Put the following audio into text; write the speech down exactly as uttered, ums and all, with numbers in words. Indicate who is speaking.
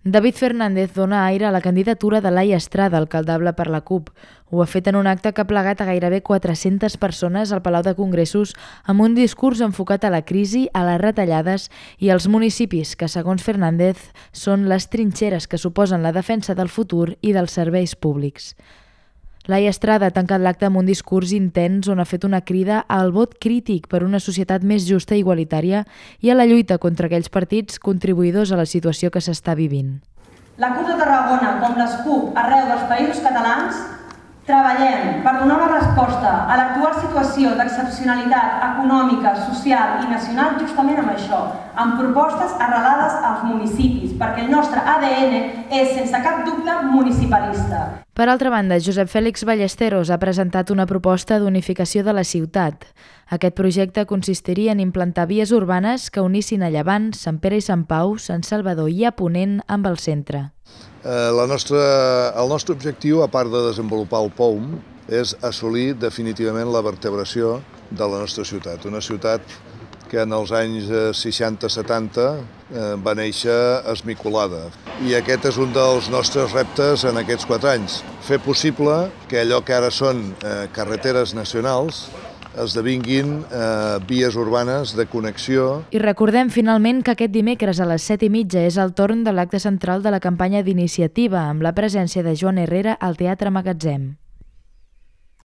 Speaker 1: David Fernández dona aire a la candidatura de Laia Estrada, alcaldable per la CUP. Ho ha fet en un acte que ha plegat a gairebé quatre-centes persones al Palau de Congressos amb un discurs enfocat a la crisi, a les retallades i als municipis que, segons Fernández, són les trinxeres que suposen la defensa del futur i dels serveis públics. Laia Estrada ha tancat l'acte amb un discurs intens on ha fet una crida al vot crític per una societat més justa i igualitària i a la lluita contra aquells partits contribuïdors a la situació que s'està vivint.
Speaker 2: La CUP de Tarragona, com les CUP arreu dels països catalans, treballem per donar una resposta a l'actual situació d'excepcionalitat econòmica, social i nacional justament amb això, amb propostes arrelades als municipis, perquè el nostre A D N és, sense cap dubte, municipalista.
Speaker 1: Per altra banda, Josep Fèlix Ballesteros ha presentat una proposta d'unificació de la ciutat. Aquest projecte consistiria en implantar vies urbanes que unissin a Llevant, Sant Pere i Sant Pau, Sant Salvador i a Ponent amb el centre.
Speaker 3: Eh, la nostra, el nostre objectiu, a part de desenvolupar el P O U M, és assolir definitivament la vertebració de la nostra ciutat. Una ciutat que en els anys seixanta setanta eh, va néixer esmicolada. I aquest és un dels nostres reptes en aquests quatre anys. Fer possible que allò que ara són eh, carreteres nacionals esdevinguin eh, vies urbanes de connexió.
Speaker 1: I recordem finalment que aquest dimecres a les set i mitja és el torn de l'acte central de la campanya d'iniciativa amb la presència de Joan Herrera al Teatre Magatzem.